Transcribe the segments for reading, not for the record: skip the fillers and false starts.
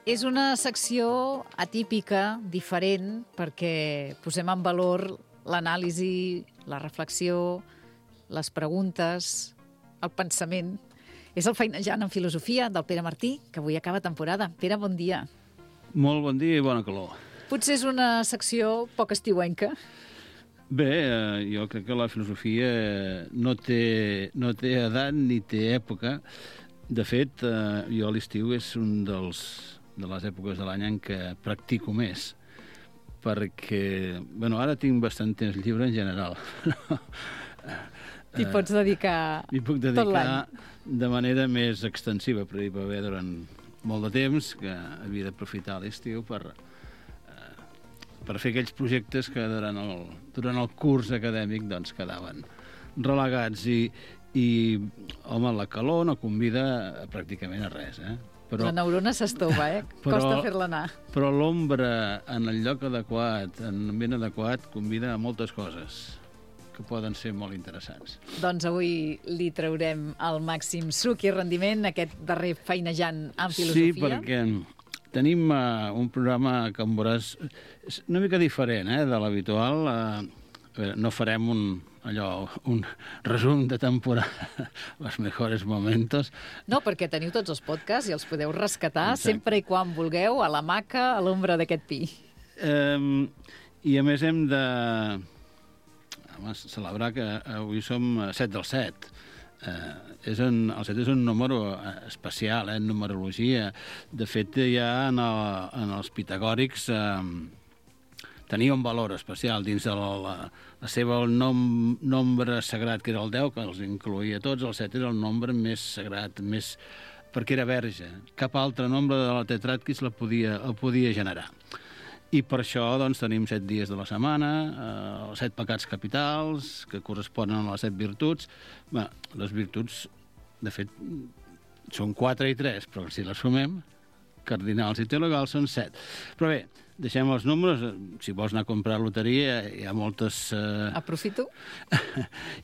És una secció atípica, diferent, perquè posem en valor l'anàlisi, la reflexió, les preguntes, el pensament. És el Feinejant en Filosofia del Pere Martí, que avui acaba temporada. Pere, bon dia. Molt bon dia i bona calor. Potser és una secció poc estiuenca. Bé, jo crec que la filosofia no té edat ni té època. De fet, jo a l'estiu és un de les èpoques de l'any en què practico més, perquè, ara tinc bastant temps lliure en general. T'hi pots dedicar tot l'any? M'hi puc dedicar de manera més extensiva, però hi va haver durant molt de temps que havia d'aprofitar l'estiu per fer aquells projectes que durant el curs acadèmic doncs, quedaven relegats i home, la calor no convida pràcticament a res, Però, la neurona s'estova, Costa fer-la anar. Però l'ombra en el lloc adequat, en l'ambient adequat, convida a moltes coses que poden ser molt interessants. Doncs avui li traurem el màxim suc i rendiment, aquest darrer Feinejant en Filosofia. Sí, perquè tenim un programa que em veuràs una mica diferent de l'habitual. No farem un resum de temporada, els millors moments. No, perquè teniu tots els podcasts i els podeu rescatar. Exacte. Sempre i quan vulgueu, a l'hamaca, a l'ombra d'aquest pi. I a més hem de celebrar que avui som 7 del 7. El 7 és un número especial, en numerologia. De fet, ja en els pitagòrics tenia un valor especial dins de la seva nombre sagrat, que era el 10, que els incloïa tots. El 7 era el nombre més sagrat, perquè era verge. Cap altre nombre de la tetràquis el podia generar. I per això doncs, tenim 7 dies de la setmana, els 7 pecats capitals, que corresponen a les 7 virtuts. Les virtuts, de fet, són 4 i 3, però si les sumem, cardinals i teologals són 7. Però bé, deixem els números. Si vols anar a comprar loteria, hi ha moltes... Aprofito.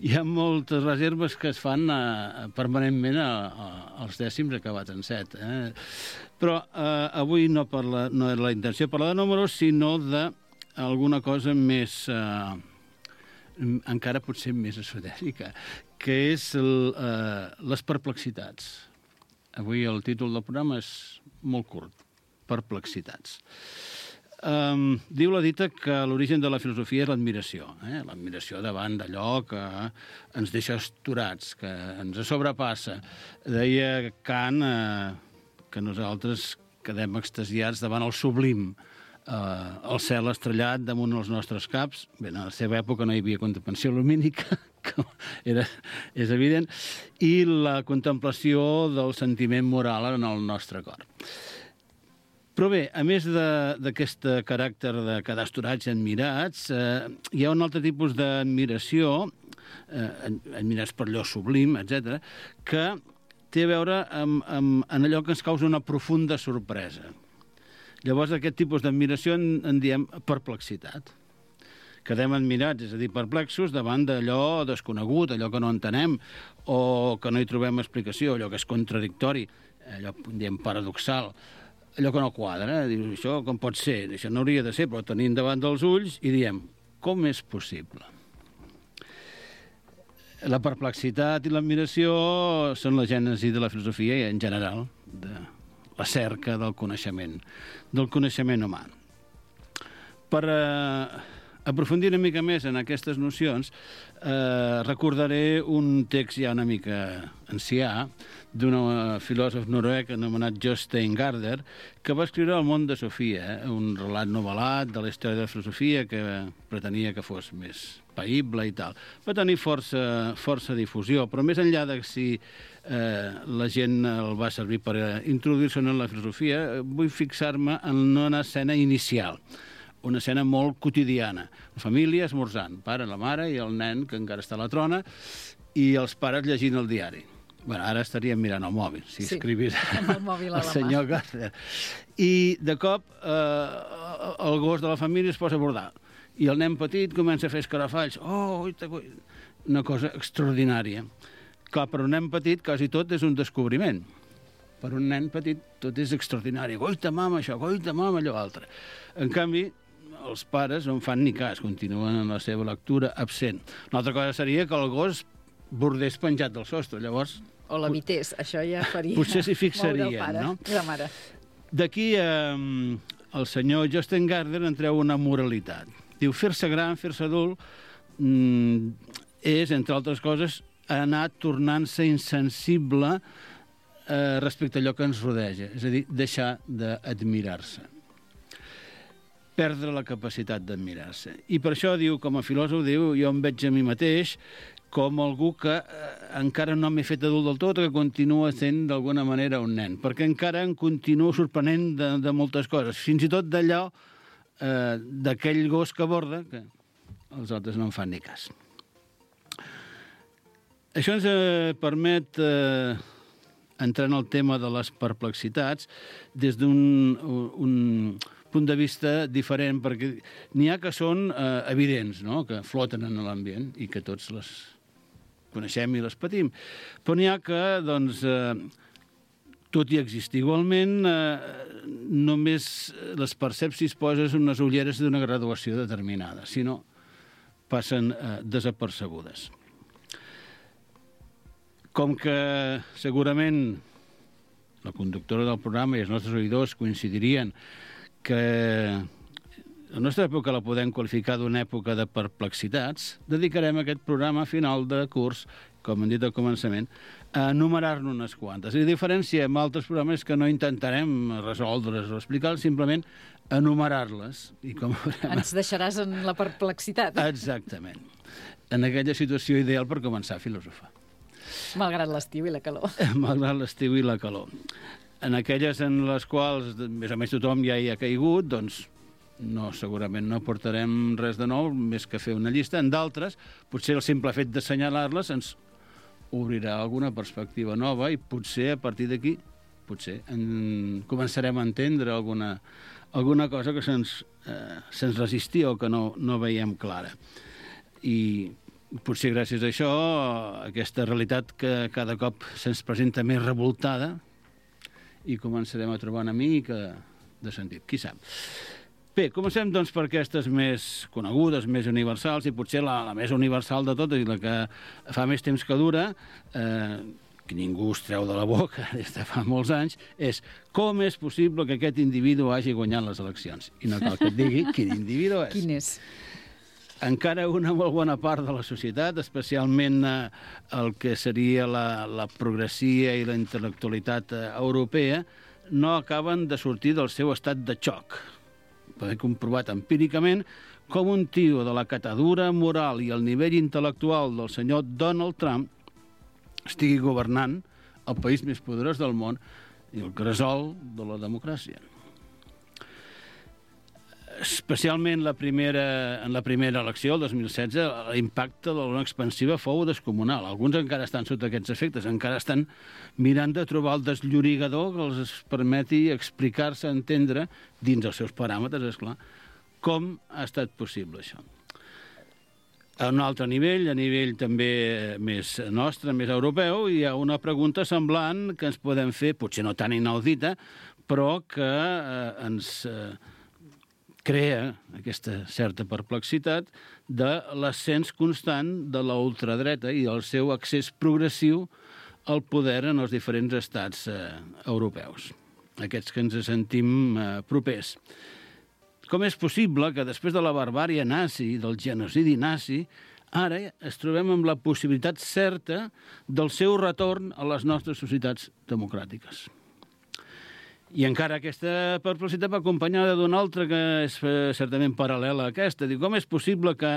Hi ha moltes reserves que es fan permanentment als dècims acabats en 7. Però avui no és la intenció parlar de números, sinó d'alguna cosa més... encara potser més esotèrica, que és les perplexitats. Avui el títol del programa és molt curt, perplexitats. Diu la dita que l'origen de la filosofia és l'admiració, l'admiració davant d'allò que ens deixa astorats, que ens sobrepassa. Deia Kant que nosaltres quedem extasiats davant el sublim, el cel estrellat damunt els nostres caps. Bé, en la seva època no hi havia contemplació lumínica, que és evident, i la contemplació del sentiment moral en el nostre cor. Però bé, a més d'aquest caràcter de quedar astorats i admirats, hi ha un altre tipus d'admiració, admirats per allò sublim, etc., que té a veure amb allò que ens causa una profunda sorpresa. Llavors, aquest tipus d'admiració en diem perplexitat. Quedem admirats, és a dir, perplexos, davant d'allò desconegut, allò que no entenem, o que no hi trobem explicació, allò que és contradictori, allò, diem, paradoxal, allò que no quadra. Dius, això com pot ser? Això no hauria de ser, però tenim davant dels ulls i diem, com és possible? La perplexitat i l'admiració són la gènesi de la filosofia i en general de la cerca del coneixement humà. Per aprofundir una mica més en aquestes nocions, recordaré un text ja una mica ancià d'un filòsof noruec anomenat Jostein Gaarder, que va escriure El món de Sofia, un relat novel·lat de la història de la filosofia que pretenia que fos més païble i tal. Va tenir força difusió, però més enllà de si la gent el va servir per introduir-se en la filosofia, vull fixar-me en una escena inicial, una escena molt quotidiana. La família esmorzant, pare, la mare i el nen, que encara està a la trona, i els pares llegint el diari. Ara estaríem mirant el mòbil, si escrivís el senyor Gaarder. I de cop el gos de la família es posa a bordar. I el nen petit comença a fer escarafalls. Una cosa extraordinària. Clar, per un nen petit quasi tot és un descobriment. Per un nen petit tot és extraordinari. Goita, mama, això, goita, mama, allò altre. En canvi, els pares no en fan ni cas, continuen en la seva lectura absent. Una altra cosa seria que el gos bordés penjat del sostre, llavors... O l'imités, això ja faria... Potser s'hi fixarien, no? I la mare. D'aquí el senyor Jostein Gaarder en treu una moralitat. Diu, fer-se gran, fer-se adult, és, entre altres coses, anar tornant-se insensible respecte a allò que ens rodeja, és a dir, deixar d'admirar-se. Perdre la capacitat d'admirar-se. I per això, diu, com a filòsof, diu, jo em veig a mi mateix com algú que encara no m'he fet adult del tot, que continua sent d'alguna manera un nen, perquè encara em continuo sorprenent de moltes coses, fins i tot d'allò, d'aquell gos que borda, que els altres no en fan ni cas. Això ens permet entrar en el tema de les perplexitats des d'un punt de vista diferent, perquè n'hi ha que són evidents, no? Que floten en l'ambient i que tots les coneixem i les patim. Però n'hi ha que, doncs, tot i existir igualment, només les perceps si es poses unes ulleres d'una graduació determinada, si no, passen desapercebudes. Com que segurament la conductora del programa i els nostres oïdors coincidirien que la nostra època la podem qualificar d'una època de perplexitats, dedicarem aquest programa a final de curs, com hem dit al començament, a enumerar-ne unes quantes. A diferència amb altres programes que no intentarem resoldre's o explicar, simplement enumerar-les. I com ens deixaràs en la perplexitat. Exactament. En aquella situació ideal per començar a filosofar. Malgrat l'estiu i la calor. Malgrat l'estiu i la calor. En aquelles en les quals més o menys tothom ja hi ha caigut, doncs no, segurament no aportarem res de nou, més que fer una llista. En d'altres, potser el simple fet d'assenyalar-les ens obrirà alguna perspectiva nova i potser a partir d'aquí començarem a entendre alguna cosa que se'ns resistia o que no veiem clara. I potser gràcies a això, aquesta realitat que cada cop se'ns presenta més revoltada, i començarem a trobar una mica de sentit. Qui sap? Bé, comencem doncs per aquestes més conegudes, més universals, i potser la més universal de totes i la que fa més temps que dura, que ningú es treu de la boca des de fa molts anys, és com és possible que aquest individu hagi guanyat les eleccions. I no cal que et digui quin individu és. Quin és? Encara una molt bona part de la societat, especialment el que seria la progressia i la intel·lectualitat europea, no acaben de sortir del seu estat de xoc. Poder comprovat empíricament com un tio de la catadura moral i el nivell intel·lectual del senyor Donald Trump estigui governant el país més poderós del món i el gresol de la democràcia. Especialment en la primera elecció, el 2016, l'impacte de l'ona expansiva fou descomunal. Alguns encara estan sota aquests efectes, encara estan mirant de trobar el desllorigador que els permeti explicar-se, entendre, dins els seus paràmetres, esclar, com ha estat possible això. A un altre nivell, a nivell també més nostre, més europeu, hi ha una pregunta semblant que ens podem fer, potser no tan inaudita, però que ens crea aquesta certa perplexitat de l'ascens constant de la ultradreta i el seu accés progressiu al poder en els diferents estats europeus, aquests que ens sentim propers. Com és possible que després de la barbària nazi, del genocidi nazi, ara ens trobem amb la possibilitat certa del seu retorn a les nostres societats democràtiques? I encara aquesta perplexitat va acompanyada d'una altra que és certament paral·lela a aquesta. Diu, com és possible que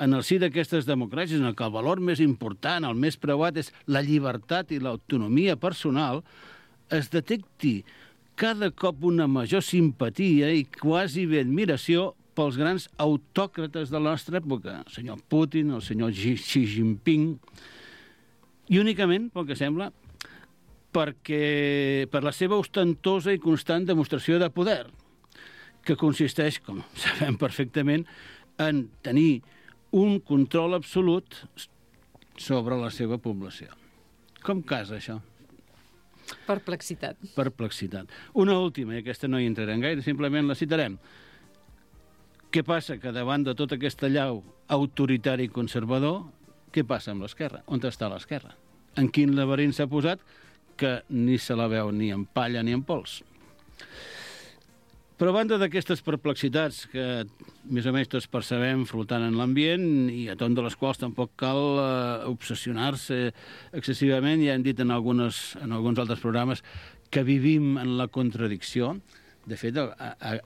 en el si d'aquestes democràcies, en què el valor més important, el més preuat, és la llibertat i l'autonomia personal, es detecti cada cop una major simpatia i quasi bé admiració pels grans autòcrates de la nostra època, el senyor Putin, el senyor Xi Jinping, i únicament, pel que sembla, per la seva ostentosa i constant demostració de poder, que consisteix, com sabem perfectament, en tenir un control absolut sobre la seva població. Com casa això? Perplexitat. Una última, i aquesta no hi entrarem gaire, simplement la citarem. Què passa? Que davant de tota aquesta llau autoritari i conservador, què passa amb l'esquerra? On està l'esquerra? En quin laberint s'ha posat que ni se la veu ni en palla ni en pols? Però a banda d'aquestes perplexitats que més o menys tots percebem flotant en l'ambient i a tot de les quals tampoc cal obsessionar-se excessivament, ja hem dit en alguns altres programes que vivim en la contradicció. De fet,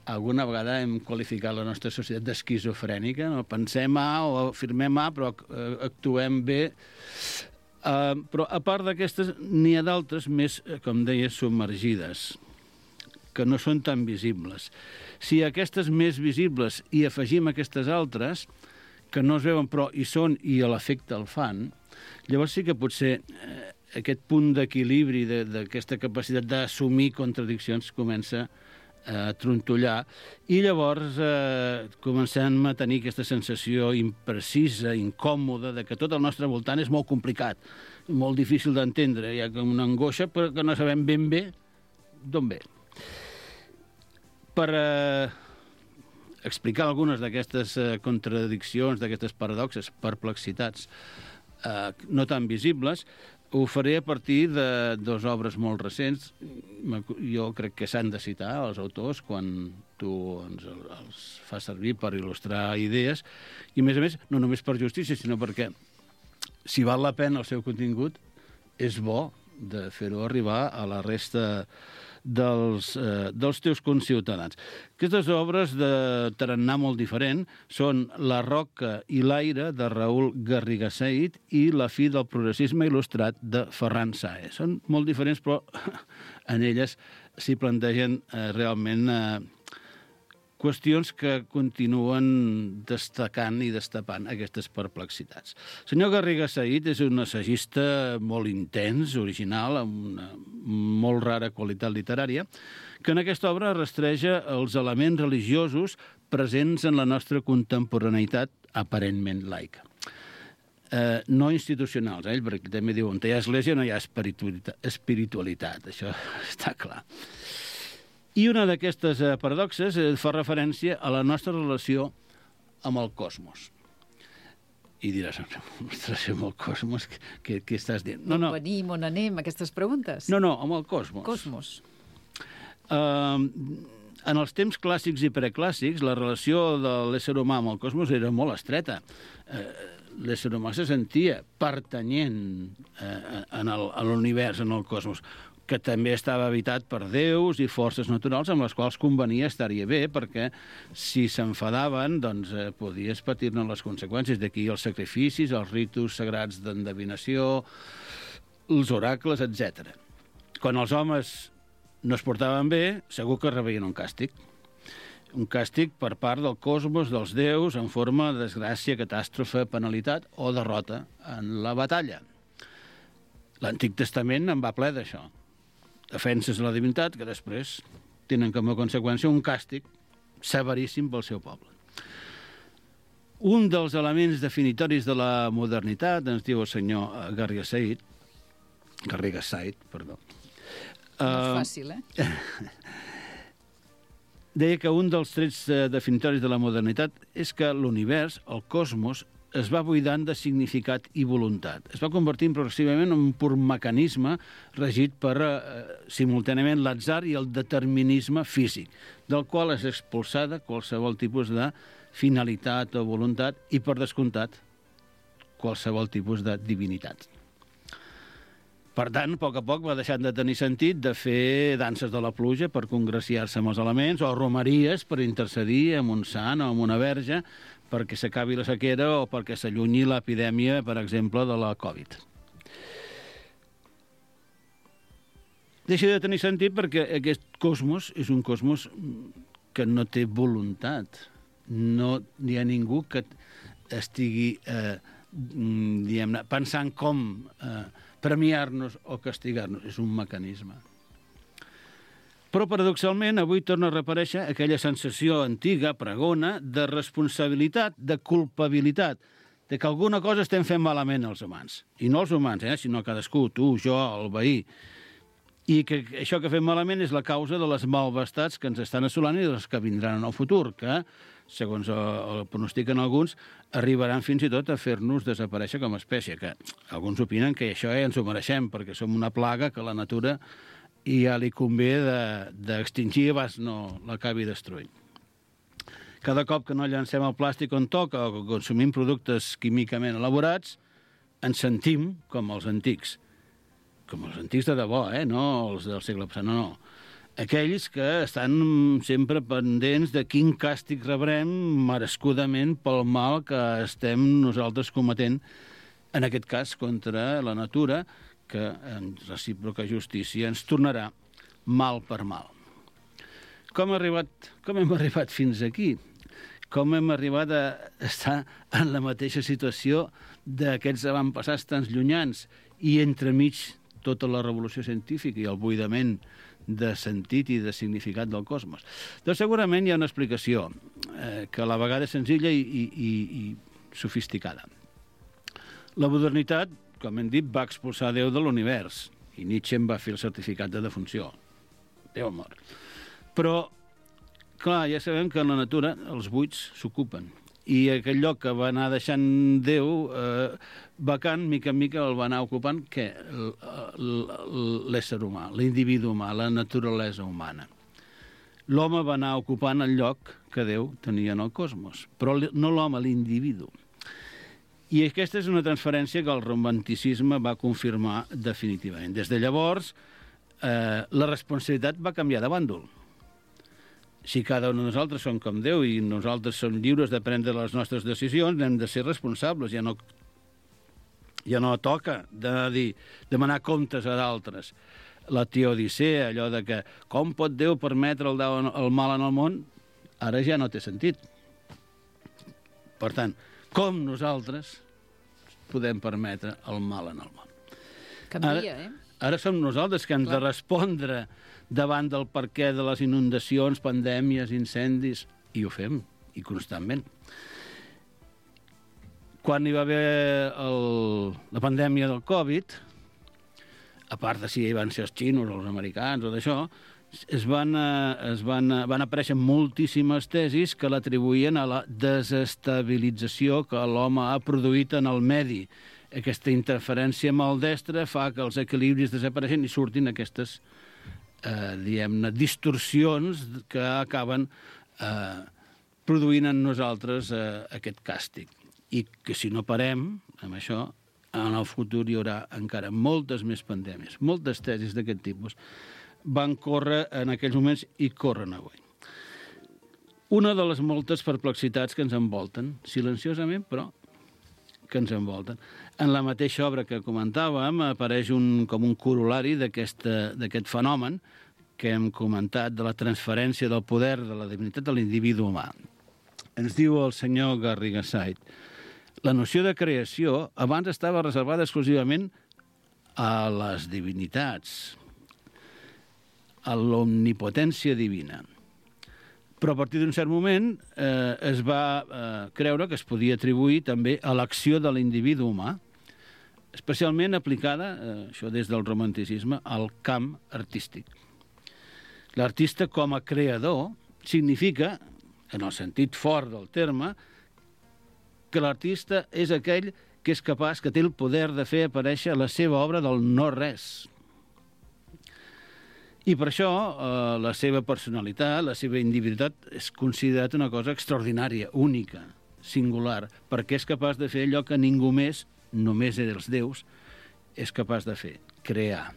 alguna vegada hem qualificat la nostra societat d'esquizofrènica, no? Pensem A o afirmem A, però actuem B. Però a part d'aquestes, n'hi ha d'altres més, com deia, submergides, que no són tan visibles. Si a aquestes més visibles hi afegim aquestes altres, que no es veuen però hi són i a l'efecte el fan, llavors sí que potser aquest punt d'equilibri, d'aquesta capacitat d'assumir contradiccions comença a trontollar i llavors comencem a tenir aquesta sensació imprecisa, incòmoda, de que tot el nostre voltant és molt complicat, molt difícil d'entendre. Hi ha com una angoixa però que no sabem ben bé d'on ve. Per explicar algunes d'aquestes contradiccions, d'aquestes paradoxes, perplexitats no tan visibles, ho faré a partir de dues obres molt recents. Jo crec que s'han de citar els autors quan tu els fas servir per il·lustrar idees, i a més, no només per justícia, sinó perquè si val la pena el seu contingut, és bo de fer-ho arribar a la resta dels teus conciutadans. Aquestes obres de tarannà molt diferent són La roca i l'aire, de Raül Garriga Said, i La fi del progressisme il·lustrat, de Ferran Saez. Són molt diferents, però en elles s'hi plantegen realment qüestions que continuen destacant i destapant aquestes perplexitats. El senyor Garriga Said és un assagista molt intens, original, amb una molt rara qualitat literària, que en aquesta obra rastreja els elements religiosos presents en la nostra contemporaneïtat aparentment laica. No institucionals, ell, perquè també diu on hi ha església no hi ha espiritualitat, això està clar. I una d'aquestes paradoxes fa referència a la nostra relació amb el cosmos. I diràs, ostres, amb el cosmos, què estàs dient? No. On venim, on anem, aquestes preguntes? No, amb el cosmos. En els temps clàssics i preclàssics, la relació de l'ésser humà amb el cosmos era molt estreta. L'ésser humà se sentia pertanyent a l'univers, en el cosmos, que també estava habitat per déus i forces naturals amb les quals convenia estar-hi bé, perquè si s'enfadaven, doncs podies patir-ne les conseqüències. D'aquí els sacrificis, els ritus sagrats d'endevinació, els oracles, etc. Quan els homes no es portaven bé, segur que rebien un càstig. Un càstig per part del cosmos, dels déus, en forma de desgràcia, catàstrofe, penalitat o derrota en la batalla. L'Antic Testament en va ple d'això. Defenses la divinitat que després tenen com a conseqüència un càstig severíssim pel seu poble. Un dels elements definitoris de la modernitat, ens diu el senyor Garriga Said, No és fàcil, deia que un dels trets definitoris de la modernitat és que l'univers, el cosmos, es va buidant de significat i voluntat. Es va convertint progressivament en un pur mecanisme regit per simultàniament l'atzar i el determinisme físic, del qual és expulsada qualsevol tipus de finalitat o voluntat i, per descomptat, qualsevol tipus de divinitat. Per tant, a poc va deixant de tenir sentit de fer danses de la pluja per congraciar-se amb els elements o romeries per intercedir amb un sant o amb una verge perquè s'acabi la sequera o perquè s'allunyi l'epidèmia, per exemple, de la Covid. Deixa de tenir sentit perquè aquest cosmos és un cosmos que no té voluntat. No hi ha ningú que estigui pensant com premiar-nos o castigar-nos. És un mecanisme. Però, paradoxalment, avui torna a reaparèixer aquella sensació antiga, pregona, de responsabilitat, de culpabilitat, de que alguna cosa estem fent malament els humans. I no els humans, sinó cadascú, tu, jo, el veí. i que això que fem malament és la causa de les malvestats que ens estan assolant i de les que vindran en el futur, que, segons el pronostiquen alguns, arribaran fins i tot a fer-nos desaparèixer com a espècie, que alguns opinen que això ja ens ho mereixem, perquè som una plaga que la natura ja li convé d'extingir abans no l'acabi destruint. Cada cop que no llancem el plàstic on toca o que consumim productes químicament elaborats, ens sentim com els antics de debò, no els del segle passat, no. Aquells que estan sempre pendents de quin càstig rebrem merescudament pel mal que estem nosaltres cometent, en aquest cas contra la natura, que en recíproca justícia ens tornarà mal per mal. Com hem arribat fins aquí? Com hem arribat a estar en la mateixa situació d'aquests avantpassats tan llunyans i entremig tota la revolució científica i el buidament de sentit i de significat del cosmos? Doncs segurament hi ha una explicació que a la vegada és senzilla i sofisticada. La modernitat, com hem dit, va expulsar Déu de l'univers i Nietzsche en va fer el certificat de defunció. Déu mort. Però, clar, ja sabem que en la natura els buits s'ocupen i aquell lloc que va anar deixant Déu vacant, mica en mica el va anar ocupant l'ésser humà, l'individu humà, la naturalesa humana. L'home va anar ocupant el lloc que Déu tenia en el cosmos, però no l'home, l'individu. I aquesta és una transferència que el romanticisme va confirmar definitivament. Des de llavors, la responsabilitat va canviar de bàndol. Si cada un de nosaltres som com Déu i nosaltres som lliures de prendre les nostres decisions, hem de ser responsables. Ja no toca demanar comptes a d'altres. La teodicea, allò de que com pot Déu permetre el mal en el món, ara ja no té sentit. Per tant, com nosaltres podem permetre el mal en el món? Canvia, Ara som nosaltres que hem de respondre davant del perquè de les inundacions, pandèmies, incendis, i ho fem, i constantment. Quan hi va haver la pandèmia del Covid, a part de si hi van ser els xinos o els americans o d'això, van aparèixer moltíssimes tesis que l'atribuïen a la desestabilització que l'home ha produït en el medi. Aquesta interferència maldestra fa que els equilibris desapareixen i surtin aquestes distorsions que acaben produint en nosaltres aquest càstig. I que si no parem amb això, en el futur hi haurà encara moltes més pandèmies. Moltes tesis d'aquest tipus van córrer en aquells moments i corren avui. Una de les moltes perplexitats que ens envolten, silenciosament, però que ens envolten. En la mateixa obra que comentàvem apareix com un corol·lari d'aquest fenomen que hem comentat de la transferència del poder de la divinitat a l'individu humà. Ens diu el senyor Garrigasait: la noció de creació abans estava reservada exclusivament a les divinitats, a l'omnipotència divina. Però a partir d'un cert moment es va creure que es podia atribuir també a l'acció de l'individu humà, especialment aplicada, això des del romanticisme, al camp artístic. L'artista com a creador significa, en el sentit fort del terme, que l'artista és aquell que és capaç, que té el poder de fer aparèixer la seva obra del no-res. I per això la seva personalitat, la seva individualitat és considerat una cosa extraordinària, única, singular, perquè és capaç de fer allò que ningú més, només els déus, és capaç de fer, crear.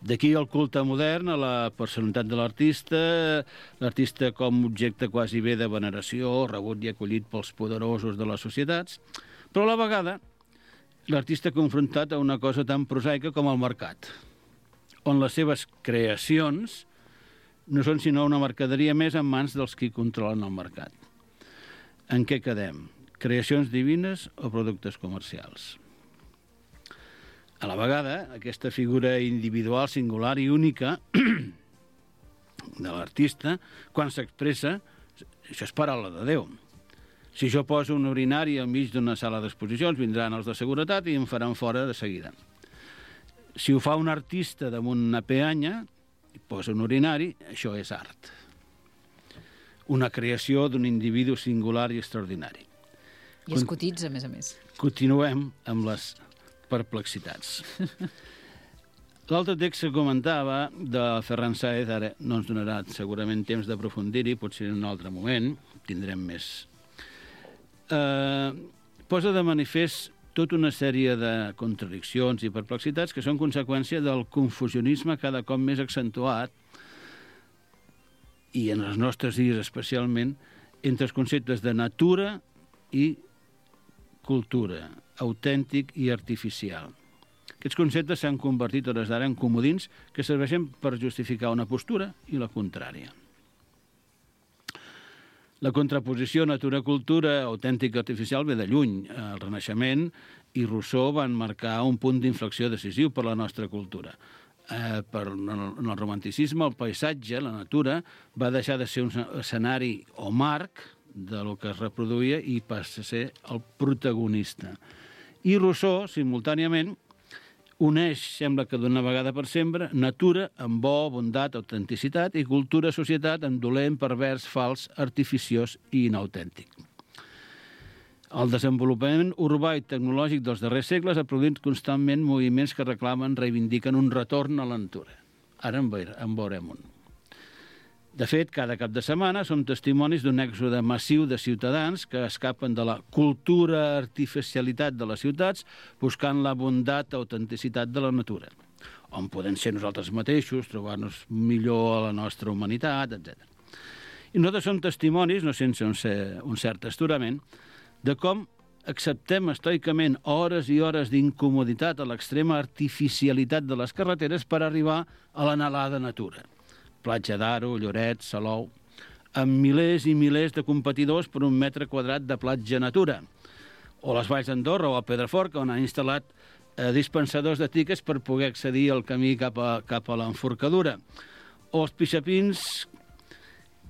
D'aquí el culte modern a la personalitat de l'artista com objecte quasi bé de veneració, rebut i acollit pels poderosos de les societats, però a la vegada l'artista confrontat a una cosa tan prosaica com el mercat, on les seves creacions no són sinó una mercaderia més en mans dels qui controlen el mercat. En què quedem? Creacions divines o productes comercials? A la vegada, aquesta figura individual, singular i única de l'artista, quan s'expressa, això és paraula de Déu. Si jo poso un urinari al mig d'una sala d'exposicions, vindran els de seguretat i em faran fora de seguida. Si ho fa un artista damunt una peanya i posa un urinari, això és art. Una creació d'un individu singular i extraordinari. I es cotitza, a més. Continuem amb les perplexitats. L'altre text que comentava de Ferran Sáez, ara no ens donarà segurament temps d'aprofundir-hi, potser en un altre moment, tindrem més. Posa de manifest tota una sèrie de contradiccions i perplexitats que són conseqüència del confusionisme cada cop més accentuat, i en els nostres dies especialment, entre els conceptes de natura i cultura, autèntic i artificial. Aquests conceptes s'han convertit a hores d'ara en comodins que serveixen per justificar una postura i la contrària. La contraposició natura-cultura, autèntica i artificial, ve de lluny. El Renaixement i Rousseau van marcar un punt d'inflexió decisiu per la nostra cultura. En el romanticisme, el paisatge, la natura, va deixar de ser un escenari o marc de lo que es reproduïa i passa a ser el protagonista. I Rousseau, simultàniament, uneix, sembla que d'una vegada per sempre, natura amb bo, bondat, autenticitat i cultura, societat amb dolent, pervers, fals, artificiós i inautèntic. El desenvolupament urbà i tecnològic dels darrers segles ha produït constantment moviments que reclamen, reivindiquen un retorn a la natura. Ara en veurem un. De fet, cada cap de setmana som testimonis d'un èxode massiu de ciutadans que escapen de la cultura artificialitat de les ciutats buscant la bondat, autenticitat de la natura, on podem ser nosaltres mateixos, trobar-nos millor a la nostra humanitat, etc. I nosaltres som testimonis, no sense un cert astorament, de com acceptem estoicament hores i hores d'incomoditat a l'extrema artificialitat de les carreteres per arribar a l'anhelada natura. Platja d'Aro, Lloret, Salou, amb milers i milers de competidors per un metre quadrat de platja natura. O les Valls d'Andorra o a Pedraforca, on han instal·lat dispensadors de tiquets per poder accedir al camí cap a l'enforcadura. O els pixapins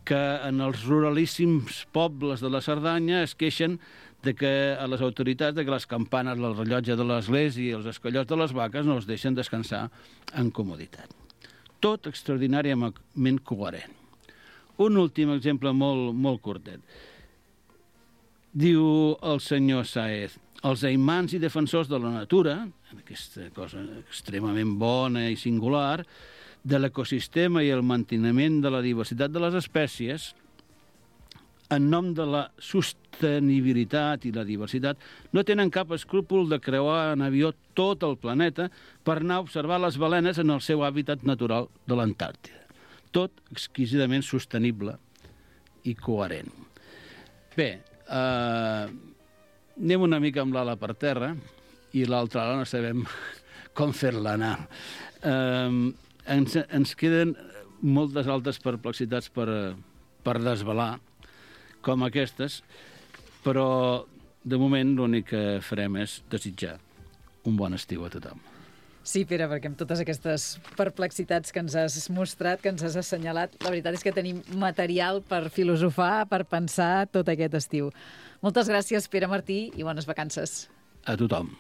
que en els ruralíssims pobles de la Cerdanya es queixen de que a les autoritats de que les campanes, el rellotge de l'església i els escollots de les vaques no els deixen descansar en comoditat. Tot extraordinàriament coherent. Un últim exemple molt curtet. Diu el senyor Sáez, els aimants i defensors de la natura, aquesta cosa extremament bona i singular, de l'ecosistema i el manteniment de la diversitat de les espècies, en nom de la sostenibilitat i la diversitat, no tenen cap escrúpol de creuar en avió tot el planeta per anar a observar les balenes en el seu hàbitat natural de l'Antàrtida. Tot exquisidament sostenible i coherent. Bé, anem una mica amb l'ala per terra i l'altra ala no sabem com fer-la anar. Ens queden moltes altres perplexitats per desvelar, com aquestes, però de moment l'únic que farem és desitjar un bon estiu a tothom. Sí, Pere, perquè amb totes aquestes perplexitats que ens has mostrat, que ens has assenyalat, la veritat és que tenim material per filosofar, per pensar tot aquest estiu. Moltes gràcies, Pere Martí, i bones vacances. A tothom.